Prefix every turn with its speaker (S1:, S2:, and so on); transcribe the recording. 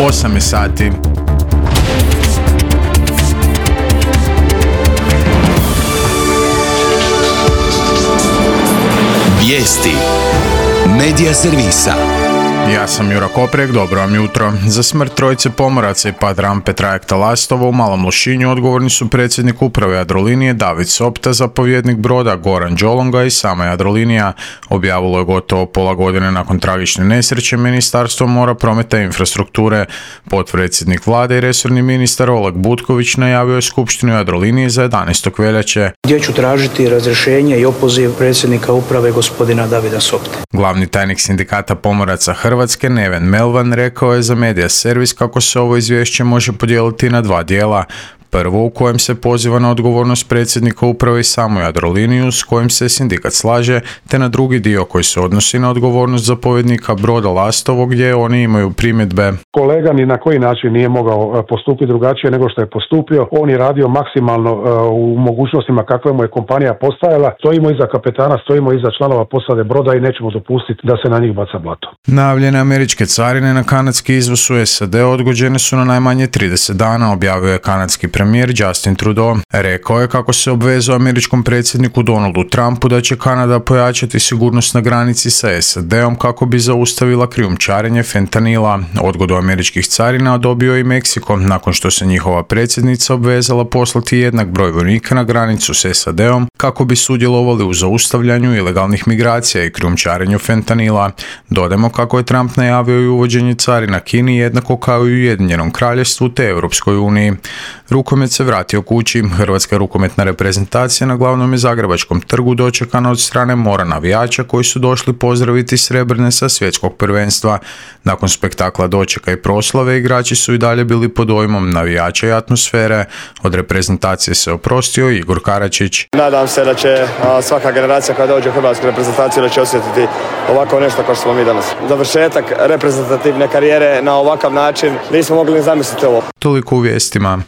S1: 8 je sati.
S2: Vijesti Medija servisa.
S1: Ja sam Jura Koprek, dobro vam jutro. Za smrt trojice pomoraca i pad rampe trajekta Lastovo u Malom Lošinju odgovorni su predsjednik uprave Jadrolinije David Sopta, zapovjednik broda Goran Đolonga i sama Jadrolinija. Objavilo je gotovo pola godine nakon tragične nesreće Ministarstvo mora, prometa i infrastrukture. Potpredsjednik vlade i resorni ministar Oleg Butković najavio je skupštinu Jadrolinije za 11. veljače.
S3: Gdje ću tražiti razrješenje i opoziv predsjednika uprave gospodina Davida Sopte.
S1: Glavni tajnik sindikata pomoraca Hrvatske Neven Melvan rekao je za Medija servis kako se ovo izvješće može podijeliti na dva dijela. Prvo u kojem se poziva na odgovornost predsjednika uprave i samu Jadroliniju s kojim se sindikat slaže, te na drugi dio koji se odnosi na odgovornost zapovjednika broda Lastovo gdje oni imaju primjedbe.
S4: Kolega ni na koji način nije mogao postupiti drugačije nego što je postupio. On je radio maksimalno u mogućnostima kakve mu je kompanija postajala. Stojimo iza kapetana, stojimo iza članova posade broda i nećemo dopustiti da se na njih baca blato.
S1: Najavljene američke carine na kanadski izvoz u SAD odgođene su na najmanje 30 dana, objavio je kanadski premijer Justin Trudeau. Rekao je kako se obvezao američkom predsjedniku Donaldu Trumpu da će Kanada pojačati sigurnost na granici sa SAD-om kako bi zaustavila krijumčarenje fentanila. Odgodu američkih carina dobio i Meksiko, nakon što se njihova predsjednica obvezala poslati jednak broj vojnika na granicu s SAD-om kako bi sudjelovali u zaustavljanju ilegalnih migracija i krijumčarenju fentanila. Dodajmo kako je Trump najavio i uvođenje carina Kini jednako kao i Ujedinjenom kraljevstvu te Europskoj uniji. Rukomet se vratio kući. Hrvatska rukometna reprezentacija na glavnom i Zagrebačkom trgu dočekana od strane mora navijača koji su došli pozdraviti srebrne sa svjetskog prvenstva. Nakon spektakla dočeka i proslave igrači su i dalje bili pod dojmom navijača i atmosfere. Od reprezentacije se oprostio Igor Karačić.
S5: Nadam se da će svaka generacija koja dođe u hrvatsku reprezentaciju da će osjetiti ovako nešto kao što smo mi danas. Završetak reprezentativne karijere na ovakav način nismo mogli ni zamisliti ovo.
S1: Toliko u vijestima.